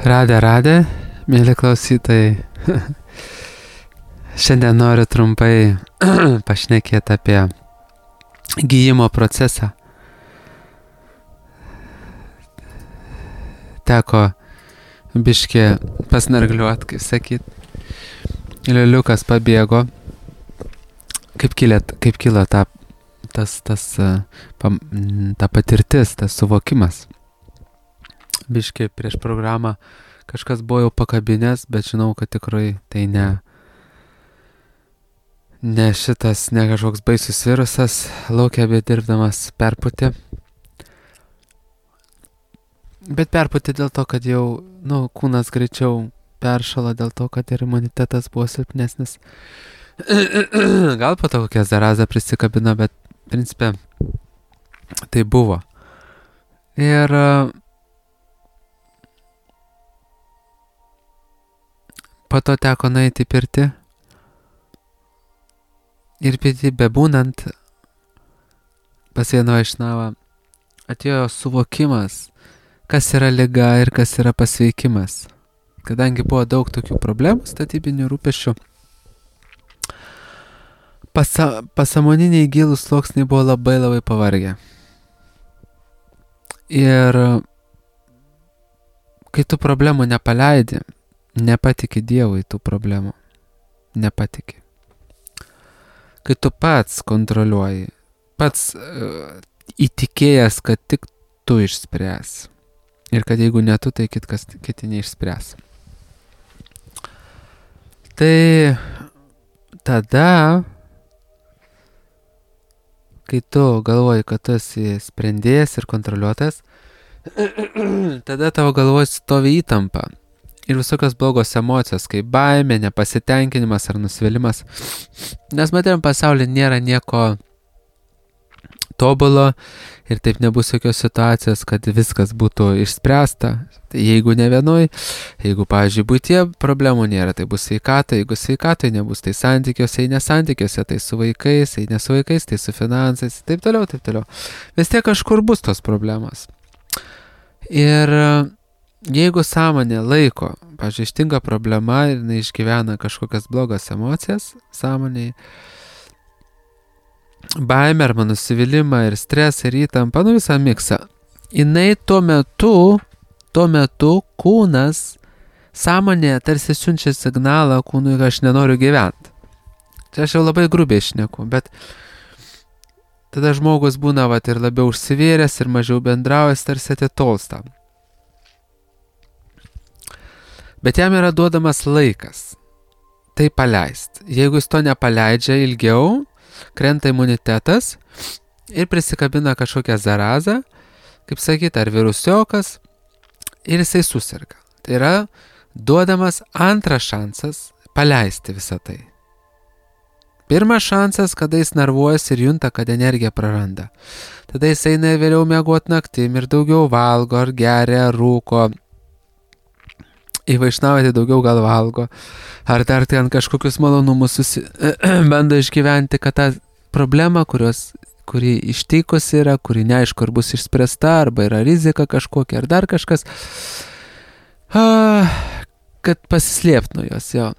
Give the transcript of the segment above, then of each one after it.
Radė, mėly klausytojai. Šiandien noriu trumpai pašnekėti apie gijimo procesą. Teko biškį pasnargliuot, kaip sakyt. Liuliukas pabėgo. Kaip kilo ta patirtis, tas suvokimas. Biškį prieš programą kažkas buvo jau pakabinės, bet žinau, kad tikrai tai ne kažkoks baisus virusas laukia bedirbdamas perpūtė. Bet perpūtė dėl to, kad jau kūnas greičiau peršalo, dėl to, kad ir imunitetas buvo silpnesnis. Gal po to kokia zaraza prisikabino, bet principe tai buvo. Ir po to teko nueiti į pirtį ir pirtį bebūnant pas vieną vaišnavą atėjo suvokimas, kas yra liga ir kas yra pasveikimas. Kadangi buvo daug tokių problemų, statybinių rūpesčių, pasąmoniniai gilūs sluoksniai buvo labai pavargę. Ir kai tu problemų nepaleidi, nepatiki Dievui tų problemų. Nepatiki. Kai tu pats kontroliuoji, pats įtikėjęs, kad tik tu išspręs. Ir kad jeigu ne tu, tai kiti neišspręs. Tai tada, kai tu galvoji, kad tu esi sprendėjas ir kontroliuotas, tada tavo galvoje stovi įtampa. Ir visokios blogos emocijos, kaip baimė, nepasitenkinimas ar nusivylimas. Nes materiam pasaulyje nėra nieko tobulo ir taip nebus jokios situacijos, kad viskas būtų išspręsta. Tai jeigu ne vienoj, jeigu, pavyzdžiui, buityje problemų nėra, tai bus sveikata, jeigu sveikatai nebus, tai santykiuose, jei nesantykiuose, tai su vaikais, jei ne su vaikais, tai su finansais, taip toliau. Vis tiek kažkur bus tos problemos. Ir jeigu sąmonė laiko, pavyzdžiui, ištinka problema ir išgyvena kažkokias blogas emocijas sąmonėje, baimę arba nusivylimą ir stresą ir įtampą, visą miksą, jinai tuo metu kūnas, sąmonė tarsi siunčia signalą kūnui, kad aš nenoriu gyventi. Čia aš jau labai grubiai šneku, bet tada žmogus būna ir labiau užsivėręs ir mažiau bendraujas, tarsi atitolsta. Bet jam yra duodamas laikas tai paleist. Jeigu jis to nepaleidžia ilgiau, krenta imunitetas ir prisikabina kažkokią zarazą, kaip sakyt, ar virusiokas, ir jisai susirga. Tai yra duodamas antras šansas paleisti visą tai. Pirmas šansas, kada jis nervuojasi ir junta, kad energiją praranda. Tada jis eina vėliau miegot naktim ir daugiau valgo, ar geria, ar rūko, į vaišnavą tai daugiau gal valgo, ar dar ten kažkokius malonumus bando išgyventi, kad tą problemą, kuri ištikus yra, kuri neaišku, ar bus išspręsta, arba yra rizika kažkokia, ar dar kažkas, kad pasislėpt nuo jos, jo.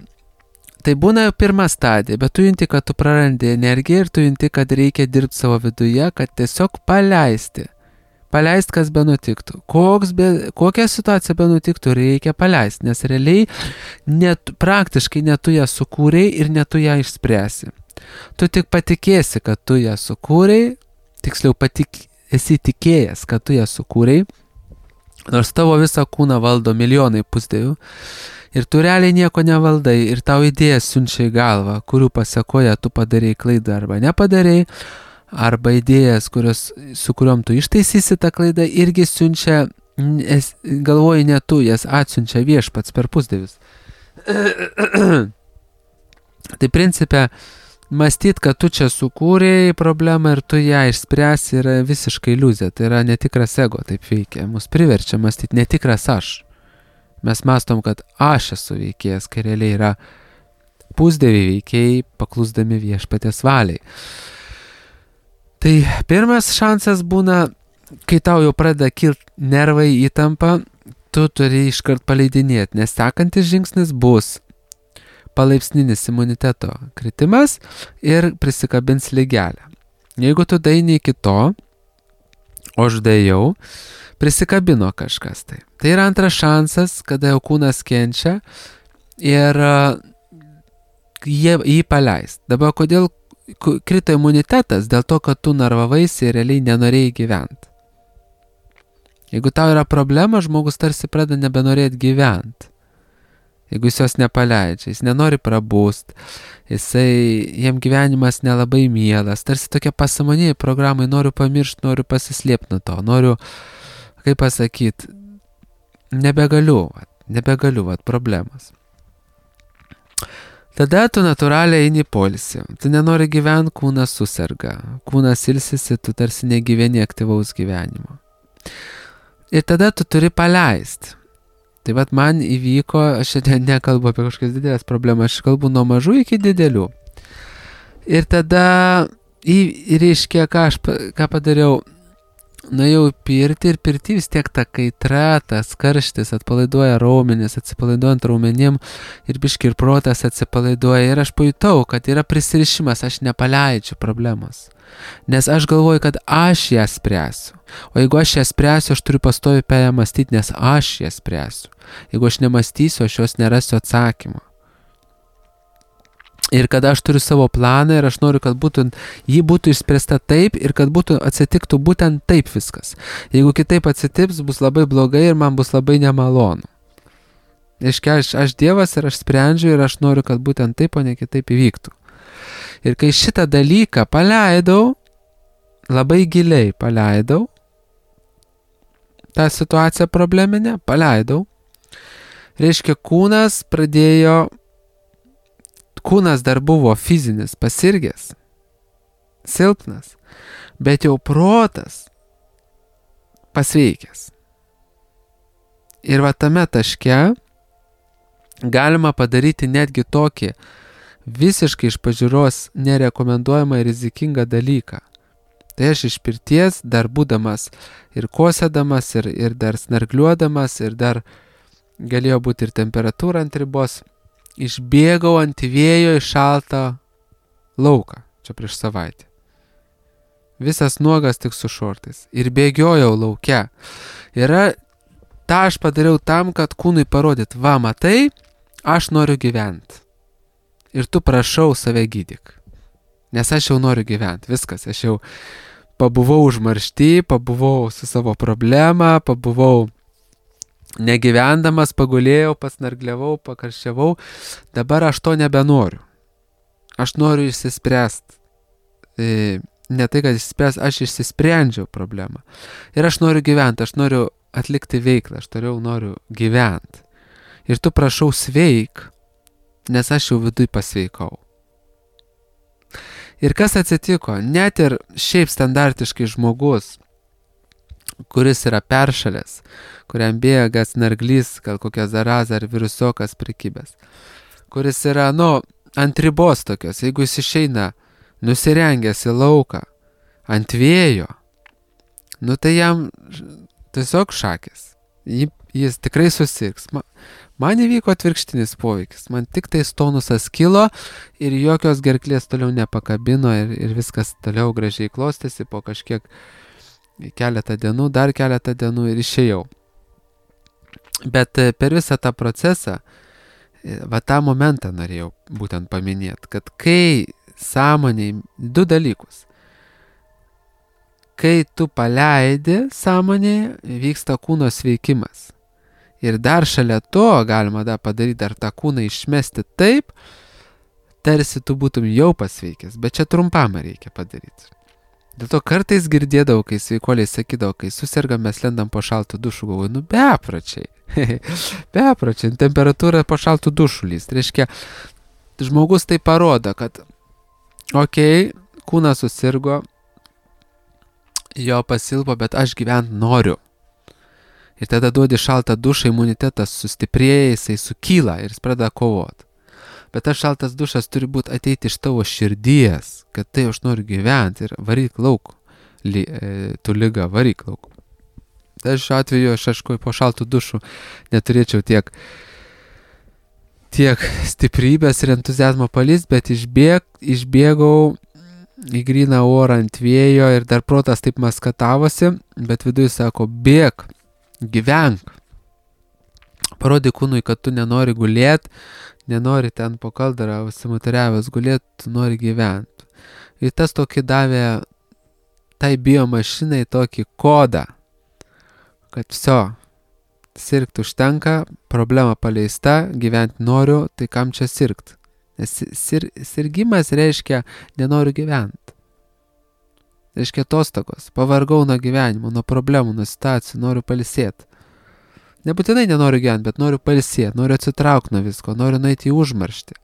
Tai būna jau pirma stadija, bet tu junti, kad tu prarandi energiją ir tu junti, kad reikia dirbti savo viduje, kad tiesiog paleisti, kas be nutiktų. Kokią situaciją be nutiktų, reikia paleisti, nes realiai praktiškai ne tu ją sukūrei ir ne tu ją išspręsi. Tu tik patikėsi, kad tu ją sukūrei, tiksliau esi tikėjęs, kad tu ją sukūrei, nors tavo visą kūną valdo milijonai pusdievių ir tu realiai nieko nevaldai ir tau idėjas siunčia į galvą, kurių pasekoje tu padarei klaidą arba nepadarei, arba idėjas, su kuriuom tu ištaisysi tą klaidą, irgi siunčia, galvoji ne tu, jas atsiunčia viešpats per pusdievius. Tai principe, mąstyt, kad tu čia sukūrei problemą ir tu ją išspręsi, yra visiškai iliuzija. Tai yra netikras ego, taip veikia. Mus priverčia mąstyti netikras aš. Mes mąstom, kad aš esu veikėjas, kai realiai yra pusdieviai veikėjai, paklusdami viešpaties valiai. Tai pirmas šansas būna, kai tau jau pradeda kilti nervai, įtampa, tu turi iškart paleidinėti, nes sekantis žingsnis bus palaipsninis imuniteto kritimas ir prisikabins lygelę. Jeigu tu daini iki to, o aš dėjau, prisikabino kažkas tai. Tai yra antras šansas, kada jau kūnas kenčia ir jį paleist. Dabar kodėl krito imunitetas? Dėl to, kad tu nervavaisi ir realiai nenorėjai gyventi. Jeigu tau yra problema, žmogus tarsi pradeda nebenorėti gyventi. Jeigu jis jos nepaleidžia, jis nenori prabūst, jam gyvenimas nelabai mielas, tarsi tokia pasąmonėje programai, noriu pamiršti, noriu pasislėpti nuo to, noriu, kaip pasakyti, nebegaliu, problemas. Tada tu natūraliai eini poilsį, tu nenori gyventi, kūnas suserga, kūnas ilsisi, tu tarsi negyveni aktyvaus gyvenimo. Ir tada tu turi paleisti. Tai vat man įvyko, aš nekalbu apie kažkokias didelės problemas, aš kalbu nuo mažų iki didelių. Ir tada, reiškia, ką padariau, nuėjau pirti ir pirti vis tiek ta kaitra, tas karštis atpalaiduoja raumenis, atsipalaiduojant raumenim ir biški ir protas atsipalaiduoja. Ir aš pajutau, kad yra prisirišimas, aš nepaleidžiu problemos. Nes aš galvoju, kad aš ją spręsiu. O jeigu aš ją spręsiu, aš turiu pastoviai apie ją mąstyti, nes aš ją spręsiu. Jeigu aš nemąstysiu, aš jos nerasiu atsakymo. Ir kada aš turiu savo planą ir aš noriu, kad ji būtų išspręsta taip ir kad atsitiktų būtent taip viskas. Jeigu kitaip atsitiks, bus labai blogai ir man bus labai nemalonu. Reiškia, aš Dievas ir aš sprendžiu ir aš noriu, kad būtent taip, o ne kitaip įvyktų. Ir kai šitą dalyką paleidau, labai giliai paleidau, tą situaciją probleminę paleidau, reiškia, kūnas dar buvo fizinis, pasirgęs, silpnas, bet jau protas pasveikęs. Ir va tame taške galima padaryti netgi tokį visiškai iš pažiūros nerekomenduojamą ir rizikingą dalyką. Tai aš iš pirties, dar būdamas ir kosėdamas, ir dar snargliuodamas, ir dar galėjo būti ir temperatūra ant ribos, išbėgau ant vėjo į šaltą lauką, čia prieš savaitę. Visas nuogas tik su šortais. Ir bėgiojau lauke. Ta aš padariau tam, kad kūnui parodyt, va, matai, aš noriu gyventi. Ir tu prašau save gydyk. Nes aš jau noriu gyventi. Viskas, aš jau pabuvau užmaršty, pabuvau su savo problema, pabuvau negyvendamas, pagulėjau, pasnargliavau, pakarščiavau. Dabar aš to nebenoriu. Aš noriu išsispręsti. Ne tai, kad aš išsisprendžiau problemą. Ir aš noriu gyventi, aš noriu atlikti veiklą, aš noriu gyventi. Ir tu prašau sveik, nes aš jau viduj pasveikau. Ir kas atsitiko? Net ir šiaip standartiškai žmogus, kuris yra peršalęs, kuriam bėga snarglys, gal kokia zaraza ar virusokas prikibęs, kuris yra, ant ribos tokios, jeigu jis išeina nusirengęs į lauką, ant vėjo, tai jam tiesiog šakės. Jis tikrai susirgs. Man įvyko atvirkštinis poveikis. Man tik tai tonusas kilo ir jokios gerklės toliau nepakabino ir viskas toliau gražiai klostėsi po kažkiek keletą dienų, dar keletą dienų ir išėjau. Bet per visą tą procesą, tą momentą norėjau būtent paminėti, kad kai sąmoniai, du dalykus. Kai tu paleidi sąmonėje, vyksta kūno sveikimas. Ir dar šalia to galima padaryti dar tą kūną išmesti taip, tarsi tu būtum jau pasveikęs, bet čia trumpam reikia padaryti. Dėl to kartais girdėdavau, kai sveikuoliai sakydavo, kai susergam, mes lendam po šaltų dušų, galvoju, bepročiai. Bepročiai, temperatūra po šaltų dušų lyst. Reiškia, žmogus tai parodo, kad kūnas susirgo, jo pasilpo, bet aš gyventi noriu. Ir tada duodi šaltą dušą, imunitetas sustiprėja, jisai sukyla ir jis pradeda kovoti. Bet tas šaltas dušas turi būti ateiti iš tavo širdies, kad tai aš noriu gyventi ir varyk lauk, tu liga, varyk lauk. Tai šiuo atveju aš aišku po šaltų dušų neturėčiau tiek stiprybės ir entuzijazmo palįst, bet išbėgau į gryną orą ant vėjo ir dar protas taip maskatavosi, bet viduje sako, bėk, gyvenk. Parodyk kūnui, kad tu nenori gulėt, nenori ten po kaldarą užsimutariavęs gulėt, tu nori gyventi. Ir tas tokį davė tai biomašinai tokį kodą, kad viso, sirgti užtenka, problema paleista, gyventi noriu, tai kam čia sirgti? Nes sirgimas reiškia nenoriu gyventi. Reiškia atostogos, pavargau nuo gyvenimo, nuo problemų, nuo situacijų, noriu pailsėti. Nebūtinai nenoriu gyventi, bet noriu pailsėti, noriu atsitraukti nuo visko, noriu nueiti į užmarštį.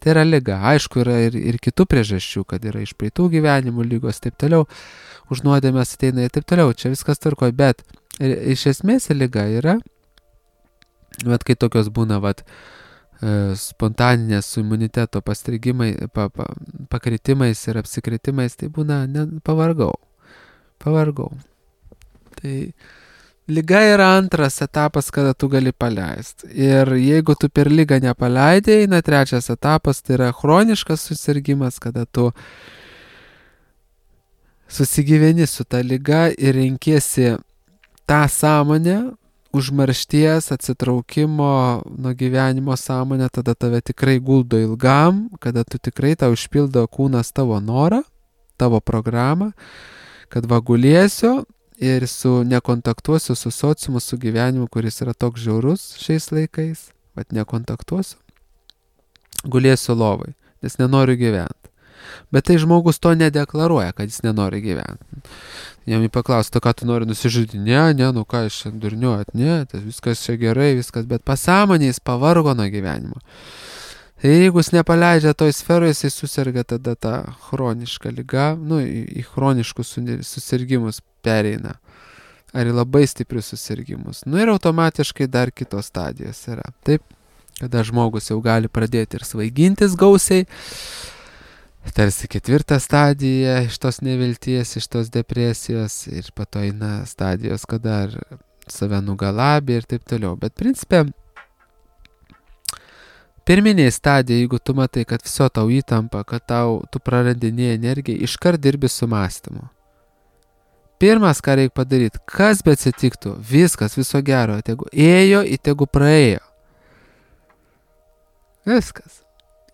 Tai yra liga. Aišku, yra ir kitų priežasčių, kad yra iš praeitų gyvenimų lygos, taip toliau, užnuodėmės ateina ir taip toliau, čia viskas tvarkoja, bet iš esmės liga yra, bet kai tokios būna, spontaninės su imuniteto pakritimais ir apsikritimais, tai būna, pavargau. Tai liga yra antras etapas, kada tu gali paleisti. Ir jeigu tu per ligą nepaleidai, eina trečias etapas, tai yra chroniškas susirgimas, kada tu susigyveni su ta liga ir renkiesi tą sąmonę, užmaršties, atsitraukimo nuo gyvenimo sąmonę, tada tave tikrai guldo ilgam, kada tu tikrai tau išpildo kūnas tavo norą, tavo programą, kad gulėsiu ir nekontaktuosiu su sociumu, su gyvenimu, kuris yra toks žiaurus šiais laikais, nekontaktuosiu, gulėsiu lovai, nes nenoriu gyventi. Bet tai žmogus to nedeklaruoja, kad jis nenori gyventi. Jam paklausta, ką tu nori nusižudyti? Ne, nu ką aš čia durniuot, ne, tai viskas čia gerai, viskas, bet pasąmonė jis pavargo nuo gyvenimo. Ir jeigu jis nepaleidžia toj sferoje, jis susirga tada tą chronišką ligą, į chroniškus susirgimus pereina. Ar į labai stiprius susirgimus. Ir automatiškai dar kitos stadijos yra. Taip, kada žmogus jau gali pradėti ir svaigintis gausiai, tarsi ketvirta stadija iš tos nevilties, iš tos depresijos ir po to eina stadijos, kada save nugalabė ir taip toliau. Bet principe, pirminėje stadijoje, jeigu tu matai, kad viso tau įtampa, kad tu prarandinėjai energiją, iškart dirbi su mąstymu. Pirmas, ką reikia padaryti, kas be atsitiktų, viskas, viso gero, tegu ėjo, tegu praėjo. Viskas.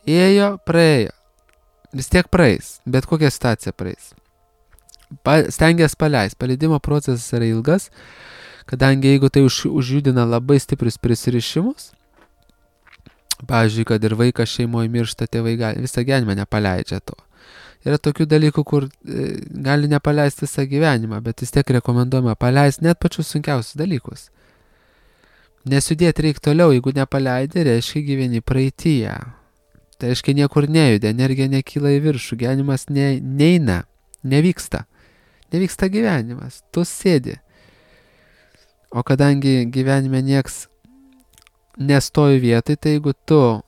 Ėjo, praėjo. Vis tiek praeis, bet kokia situacija praeis. Stengiasi paleis. Paleidimo procesas yra ilgas, kadangi jeigu tai užjudina labai stiprius prisirišimus, pavyzdžiui, kad ir vaikas šeimoje miršta, tėvai visą gyvenimą nepaleidžia to. Yra tokių dalykų, kur gali nepaleisti visą gyvenimą, bet vis tiek rekomenduojama paleisti net pačius sunkiausius dalykus. Nes judėti reikia toliau, jeigu nepaleidi, reiškia gyveni praeityje. Tai reiškia niekur nejuda, energija nekyla į viršų, gyvenimas neina, nevyksta. Nevyksta gyvenimas, tu sėdi. O kadangi gyvenime nieks nestoji vietai, tai jeigu tu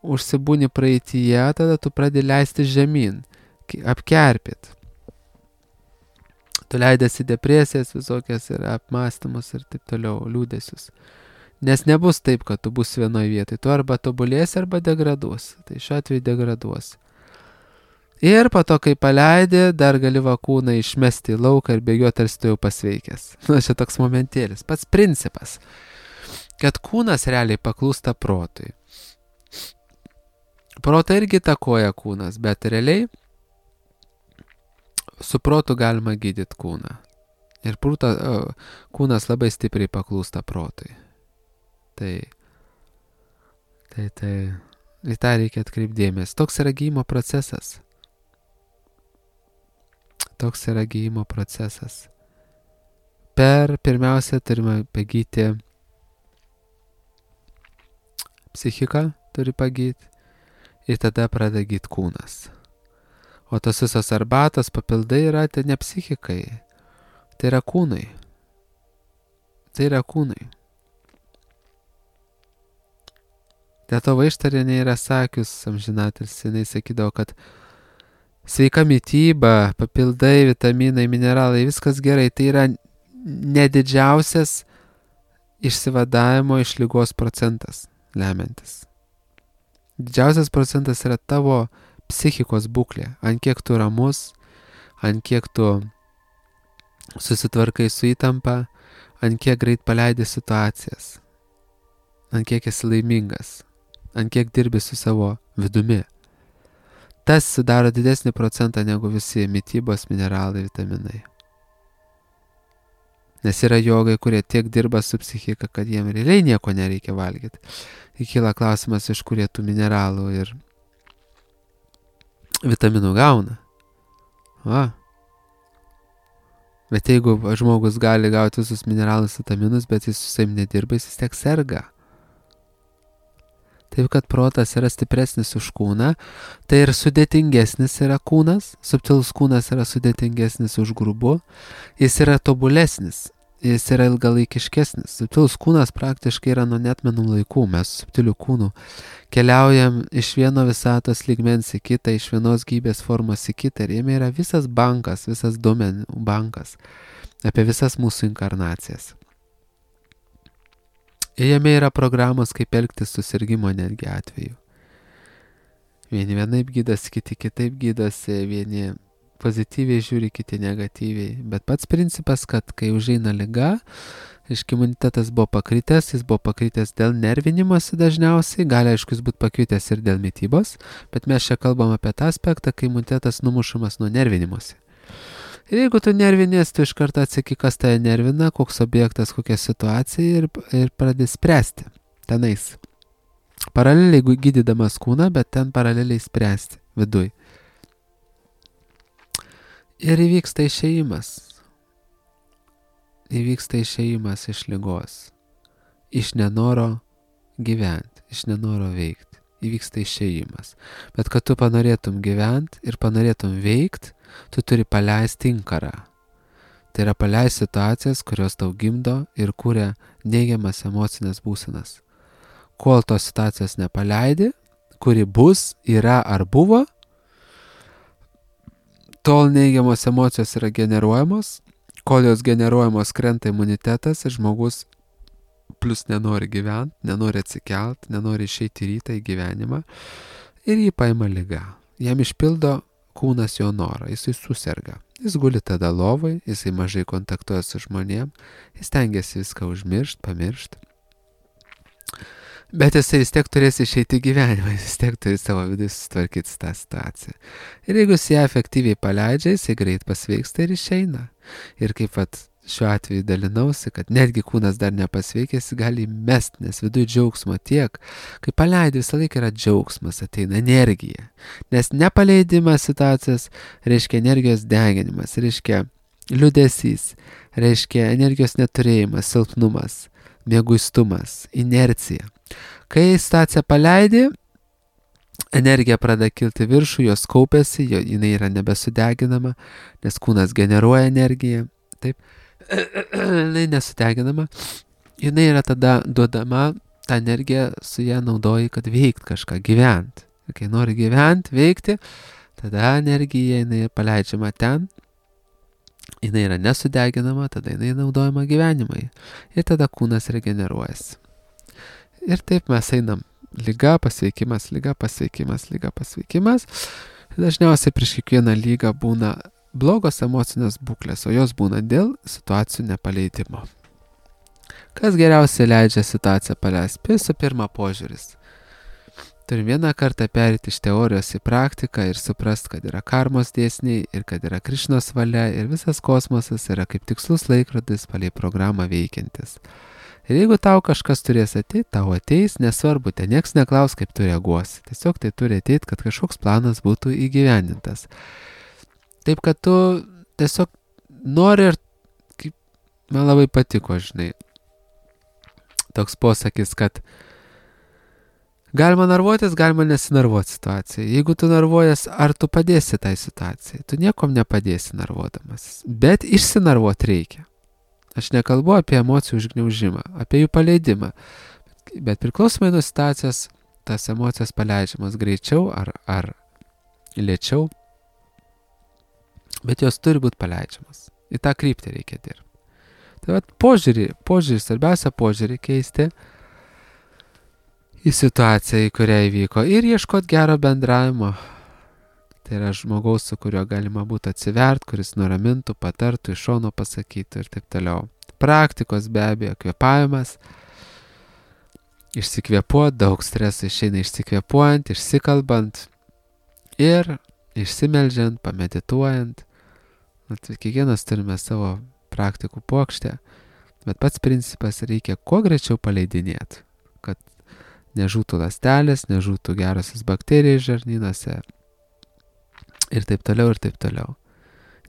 užsibūni praeityje, tada tu pradedi leisti žemyn, apkerpit. Tu leidėsi depresijas visokias ir apmąstymus ir taip toliau, liūdesius. Nes nebus taip, kad tu būsi vienoje vietoje. Tu arba tobulėsi, arba degraduosi. Tai šiuo atveju degraduosi. Ir po to, kai paleidi, dar gali kūną išmesti į lauką ir bėgioti, tarsi tu jau pasveikęs. Čia toks momentėlis. Pats principas, kad kūnas realiai paklūsta protui. Protą irgi įtakoja kūnas, bet realiai su protu galima gydyti kūną. Ir kūnas labai stipriai paklūsta protui. Tai į tą reikia atkreipdėmės. Toks yra gijimo procesas. Pirmiausia, turime pagyti psichiką, turi pagyti ir tada pradeda gyti kūnas. O tos visos arbatos papildai yra ne psichikai, tai yra kūnai. Dėl to Vaištarienė yra sakius, amžinatilsį, jinai sakydavo, kad sveika mityba, papildai, vitaminai, mineralai, viskas gerai, tai yra nedidžiausias išsivadavimo iš ligos procentas lemiantis. Didžiausias procentas yra tavo psichikos būklė, ant kiek tu ramus, ant kiek tu susitvarkai su įtampa, ant kiek greit paleidi situacijas, ant kiek esi laimingas, ant kiek dirbi su savo vidumi. Tas sudaro didesnį procentą negu visi mitybos, mineralai, vitaminai. Nes yra jogai, kurie tiek dirba su psichika, kad jiem realiai nieko nereikia valgyti. Kyla klausimas, iš kurie tų mineralų ir vitaminų gauna. Va. Bet jeigu žmogus gali gauti visus mineralus, vitaminus, bet jis su savim nedirba, jis tiek serga. Taip, kad protas yra stipresnis už kūną, tai ir sudėtingesnis yra kūnas, subtilus kūnas yra sudėtingesnis už grubų, jis yra tobulesnis, jis yra ilgalaikiškesnis. Subtilus kūnas praktiškai yra nuo neatmenų laikų, mes subtilių kūnų keliaujam iš vieno visatos lygmens į kitą, iš vienos gyvybės formos į kitą ir jame yra visas bankas, visas duomenų bankas apie visas mūsų inkarnacijas. Ir jame yra programos, kaip elgtis susirgimo netgi atveju. Vieni vienaip gydosi, kiti kitaip gydosi, vieni pozityviai žiūri, kiti negatyviai. Bet pats principas, kad kai užeina liga, imunitetas buvo pakritęs, jis buvo pakritęs dėl nervinimosi dažniausiai, gali aišku jis būti pakritęs ir dėl mitybos, bet mes čia kalbam apie tą aspektą, kai imunitetas numušamas nuo nervinimosi. Ir jeigu tu nervinės, tu iš karto atsaki, kas tave nervina, koks objektas, kokia situacija ir pradedi spręsti tenais. Paraleliai gydydamas kūną, bet ten paraleliai spręsti viduj. Ir įvyksta išėjimas. Įvyksta išėjimas iš ligos. Iš nenoro gyventi, iš nenoro veikti. Įvyksta išėjimas. Bet kad tu panorėtum gyventi ir panorėtum veikti, tu turi paleisti inkarą. Tai yra paleisti situacijas, kurios tau gimdo ir kuria neigiamas emocinės būsenas. Kol tos situacijos nepaleidi, kuri bus, yra ar buvo, tol neigiamos emocijos yra generuojamos, kol jos generuojamos krenta imunitetas ir žmogus plus nenori gyventi, nenori atsikelt, nenori išeiti rytą į gyvenimą ir jį paima liga. Jam išpildo kūnas jo norą, jisai suserga. Jis guli tada lovai, jisai mažai kontaktuoja su žmonėm, jis tengiasi viską užmiršti, pamiršti. Bet jisai vis tiek turės išeiti į gyvenimą, jis vis tiek turi savo vidų susitvarkyti tą situaciją. Ir jeigu jis ją efektyviai paleidžia, jisai greit pasveiksta ir išeina. Ir kaip šiuo atveju dalinausi, kad netgi kūnas dar nepasveikęs, gali mest, nes viduje džiaugsmo tiek. Kai paleidi, visą laiką yra džiaugsmas, ateina energija. Nes nepaleidimas situacijos reiškia energijos deginimas, reiškia liūdesys, reiškia energijos neturėjimas, silpnumas, mieguistumas, inercija. Kai situaciją paleidi, energija pradeda kilti viršų, jos kaupiasi, jinai yra nebesudeginama, nes kūnas generuoja energiją, taip, jinai nesudeginama, jinai yra tada duodama, tą energiją su ją naudoji, kad veikt kažką, gyventi. Ir kai nori gyventi, veikti, tada energija jinai paleidžiama ten, jinai yra nesudeginama, tada jinai naudojama gyvenimui. Ir tada kūnas regeneruojasi. Ir taip mes einam. Liga, pasveikimas, liga, pasveikimas, liga, pasveikimas. Dažniausiai prieš kiekvieną lygą būna blogos emocinės būklės, o jos būna dėl situacijų nepaleidimo. Kas geriausiai leidžia situaciją paleisti? Visų pirma, požiūris. Turim vieną kartą perėti iš teorijos į praktiką ir suprast, kad yra karmos dėsniai ir kad yra Krišnos valia ir visas kosmosas yra kaip tikslus laikrodis palei programą veikiantis. Ir jeigu tau kažkas turės ateiti, tau ateis, nesvarbu, ten nieks neklaus, kaip tu reaguosi. Tiesiog tai turi ateiti, kad kažkoks planas būtų įgyvendintas. Taip, kad tu tiesiog nori ir, kaip man labai patiko, žinai, toks posakis, kad galima narvuotis, galima nesinarvuoti situacijai. Jeigu tu narvuojas, ar tu padėsi tai situacijai? Tu niekom nepadėsi narvuodamas. Bet išsinarvuoti reikia. Aš nekalbu apie emocijų užgniaužimą, apie jų paleidimą. Bet priklausomai nuo situacijos, tas emocijos paleidžiamas greičiau ar lėčiau. Bet jos turi būti paleidžiamas. Į tą kryptį reikia dirbti. Tai vat požiūrį, svarbiausia požiūrį keisti į situaciją, į kurią įvyko ir ieškoti gero bendravimo. Tai yra žmogaus, su kuriuo galima būtų atsivert, kuris nuramintų, patartų, iš šono pasakytų ir taip toliau. Praktikos be abejo, kvėpavimas. Išsikvėpuot, daug streso išeina išsikvėpuojant, išsikalbant ir išsimeldžiant, pamedituojant. Kiekvienas turime savo praktikų puokštę, bet pats principas reikia kuo greičiau paleidinėti, kad nežūtų ląstelės, nežūtų gerosios bakterijos žarnynuose ir taip toliau, ir taip toliau.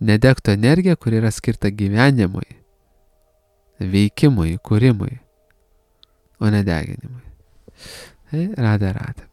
Nedegtų energija, kuri yra skirta gyvenimui, veikimui, kūrimui, o ne deginimui. Tai radė.